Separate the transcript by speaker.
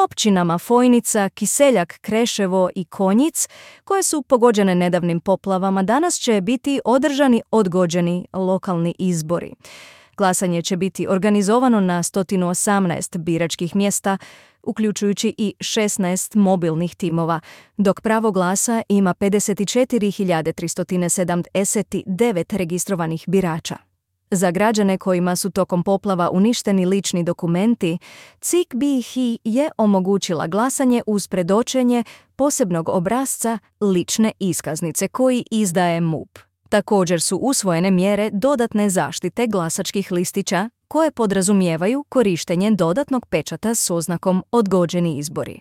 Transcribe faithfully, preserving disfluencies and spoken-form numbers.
Speaker 1: općinama Fojnica, Kiseljak, Kreševo i Konjic, koje su pogođene nedavnim poplavama, danas će biti održani odgođeni lokalni izbori. Glasanje će biti organizovano na sto osamnaest biračkih mjesta, uključujući i šesnaest mobilnih timova, dok pravo glasa ima pedeset četiri hiljade tristo sedamdeset devet registrovanih birača. Za građane kojima su tokom poplava uništeni lični dokumenti, C I K B I H I je omogućila glasanje uz predočenje posebnog obrasca lične iskaznice koji izdaje M U P. Također su usvojene mjere dodatne zaštite glasačkih listića koje podrazumijevaju korištenje dodatnog pečata s oznakom odgođeni izbori.